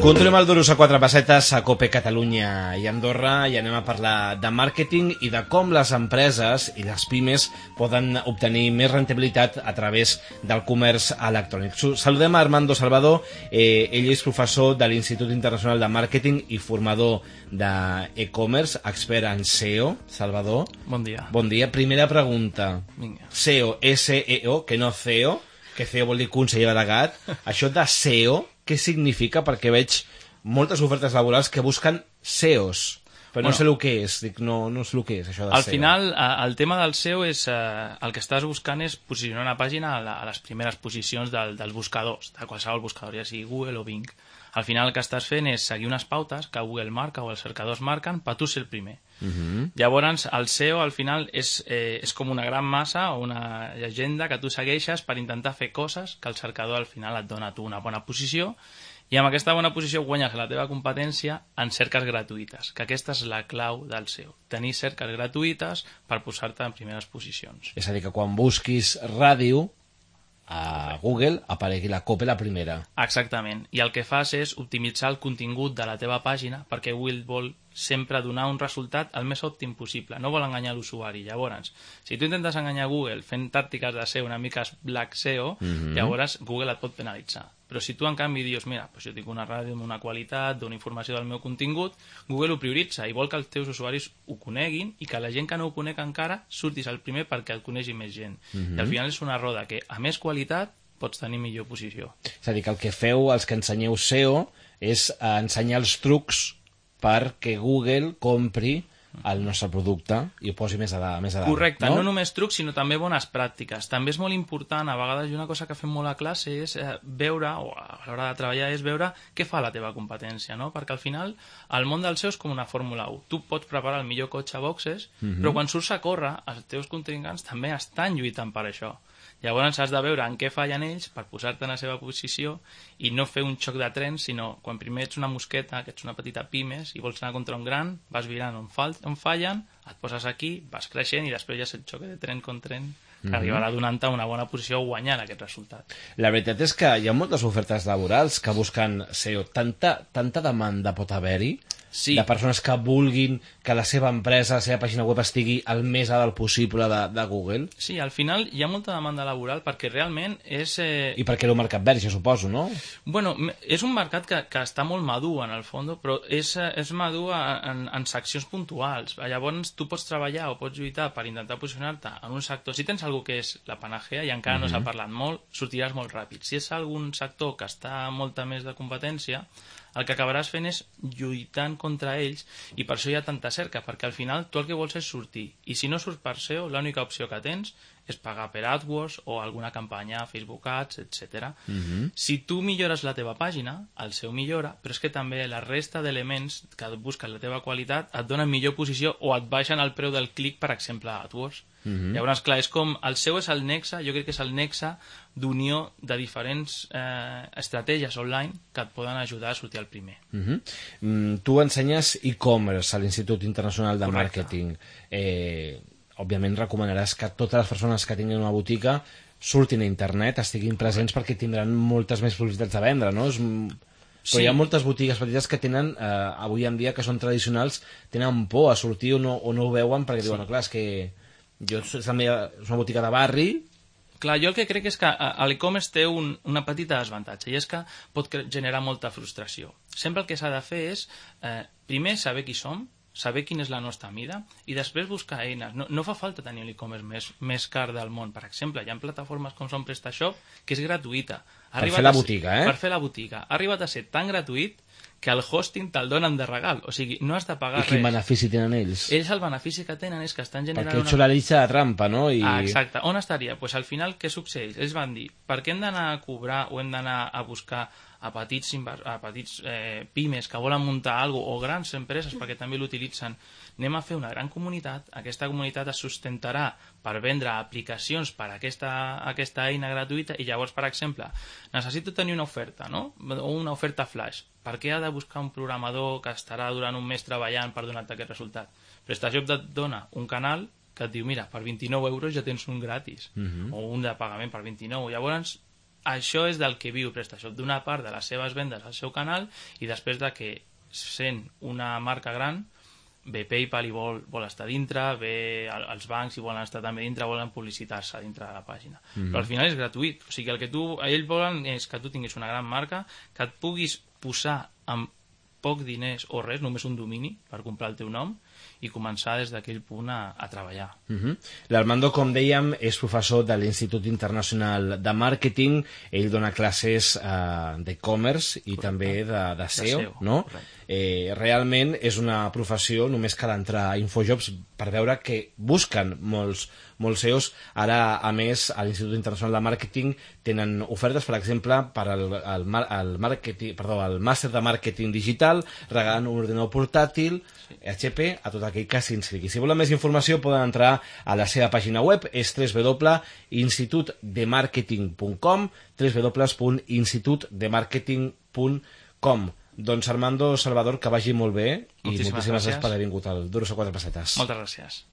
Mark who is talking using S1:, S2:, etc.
S1: Continuem el Duros a 4 pessetes a Cope Catalunya i Andorra i anem a parlar de màrqueting i de com les empreses i les pimes poden obtenir més rentabilitat a través del comerç electrònic. Saludem a Armando Salvador, ell és professor de l'Institut Internacional de Màrqueting i formador d'e-commerce, expert en SEO. Salvador.
S2: Bon dia.
S1: Bon dia. Primera pregunta.
S2: Vinga.
S1: SEO, S-E-O, que no CEO, que CEO vol dir conseller delegat. Això de SEO, què significa? Perquè veig moltes ofertes laborals que busquen SEOs, però no sé el que és. Dic, no sé el que és, això de
S2: Al
S1: SEO.
S2: final, el tema del SEO és... el que estàs buscant és posicionar una pàgina a les primeres posicions dels buscadors, de qualsevol buscador, ja sigui Google o Bing. Al final el que estàs fent és seguir unes pautes que Google marca o els cercadors marquen per tu ser el primer. Llavors, el SEO al final és com una gran massa o una llegenda que tu segueixes per intentar fer coses que el cercador al final et dona a tu una bona posició i amb aquesta bona posició guanyes la teva competència en cerques gratuïtes, que aquesta és la clau del SEO, tenir cerques gratuïtes per posar-te en primeres posicions.
S1: És a dir, que quan busquis ràdio a Google aparegui la Cope la primera.
S2: Exactament, i el que fas és optimitzar el contingut de la teva pàgina perquè Google vol sempre donar un resultat el més òptim possible, no vol enganyar l'usuari. Llavors, si tu intentes enganyar Google fent tàctiques de SEO una mica black SEO, llavors Google et pot penalitzar. Però si tu en canvi dius, mira, doncs jo tinc una ràdio amb una qualitat, dono informació del meu contingut, Google ho prioritza i vol que els teus usuaris ho coneguin i que la gent que no ho conec encara surtis el primer perquè el conegi més gent. I al final és una roda que a més qualitat pots tenir millor posició.
S1: És a dir, que el que feu, els que ensenyeu SEO, és ensenyar els trucs perquè Google compri el nostre producte i ho posi més a dalt.
S2: Correcte, no només trucs, sinó també bones pràctiques. També és molt important, a vegades, i una cosa que fem molt a classe és veure, o a l'hora de treballar, és veure què fa la teva competència, no? Perquè al final el món del SEO és com una Fórmula 1. Tu pots preparar el millor cotxe a boxes, però quan surts a córrer, els teus contrincants també estan lluitant per això. Llavors has de veure en què fallen ells per posar-te en la seva posició i no fer un xoc de trens, sinó quan primer ets una mosqueta, que ets una petita pimes i vols anar contra un gran, vas virant on fallen, et poses aquí, vas creixent i després ja és el xoc de tren contra tren que arribarà donant-te una bona posició o guanyant aquest resultat.
S1: La veritat és que hi ha moltes ofertes laborals que busquen SEO. Tanta demanda pot haver-hi de persones que vulguin que la seva empresa, la seva pàgina web estigui el més a dalt possible de Google.
S2: Sí, al final hi ha molta demanda laboral perquè realment és...
S1: I perquè era un mercat verge, suposo, no?
S2: Bueno, és un mercat que està molt madur en el fons, però és madur en seccions puntuals. Llavors tu pots treballar o pots lluitar per intentar posicionar-te en un sector. Si tens algú que és la panacea i encara no s'ha parlat molt, sortiràs molt ràpid. Si és algun sector que està molta més de competència, el que acabaràs fent és lluitant contra ells i per això hi ha tanta cerca, perquè al final tu el que vols és sortir i si no surts per SEO l'única opció que tens és pagar per AdWords o alguna campanya, Facebook Ads, etc. Si tu millores la teva pàgina, el SEO millora, però és que també la resta d'elements que busquen la teva qualitat et donen millor posició o et baixen el preu del clic, per exemple, a AdWords. Llavors, clar, és com el SEO és el nexe, jo crec que és el nexe d'unió de diferents estratègies online que et poden ajudar a sortir al primer.
S1: Tu ensenyes e-commerce a l'Institut Internacional de Màrqueting. Òbviament recomanaràs que totes les persones que tinguin una botiga surtin a internet, estiguin presents perquè tindran moltes més possibilitats de vendre, no? Però hi ha moltes botigues petites que tenen, avui en dia, que són tradicionals, tenen por a sortir o no ho veuen perquè diuen, clar, és que és una botiga de barri.
S2: Clar, jo el que crec és que l'e-commerce té una petita desavantatge i és que pot generar molta frustració. Sempre el que s'ha de fer és, primer, saber qui som, saber quina és la nostra mida i després buscar eines. No fa falta tenir l'e-commerce més car del món. Per exemple, hi ha plataformes com són PrestaShop que és gratuïta.
S1: Per fer la botiga,
S2: Per fer la botiga. Ha arribat a ser tan gratuït que el hosting te'l donen de regal. O sigui, no has de pagar res.
S1: I quin benefici tenen ells?
S2: Ells el benefici que tenen és que estan generant...
S1: Perquè ets la llista de trampa, no?
S2: Exacte. On estaria? Pues al final, què succeeix? Ells van dir, per què hem d'anar a cobrar o hem d'anar a buscar a petits pimes que volen muntar alguna cosa, o grans empreses perquè també l'utilitzen? Anem a fer una gran comunitat, aquesta comunitat es sustentarà per vendre aplicacions per a aquesta eina gratuïta i llavors, per exemple, necessito tenir una oferta, no? O una oferta flash. Per què ha de buscar un programador que estarà durant un mes treballant per donar-te aquest resultat? PrestaShop et dona un canal que et diu, mira, per 29 euros ja tens un gratis, o un de pagament per 29. Llavors, això és del que viu PrestaShop, d'una part de les seves vendes al seu canal, i després de que, sent una marca gran, ve PayPal i vol estar dintre, ve els bancs i volen estar també dintre, volen publicitar-se dintre de la pàgina. Però al final és gratuït, o sigui, el que ells volen és que tu tinguis una gran marca, que et puguis posar amb poc diners o res, només un domini per comprar el teu nom, i començar des d'aquell punt a treballar.
S1: L'Armando, com dèiem, és professor de l'Institut Internacional de Màrqueting. Ell dona classes d'e-commerce i també de SEO, no? Realment és una professió, només cal entrar a Infojobs per veure que busquen molts SEOs. Ara, a més, a l'Institut Internacional de Màrqueting tenen ofertes, per exemple, per al màster de màrqueting digital, regalant un ordinador portàtil, HP, a tot aquell que s'inscrigui. Si volen més informació poden entrar a la seva pàgina web, és www.institutdemarketing.com, www.institutdemarketing.com. Doncs Armando Salvador, que vagi molt bé i moltíssimes gràcies per haver vingut al Duro a 4 pessetes.
S2: Moltes gràcies.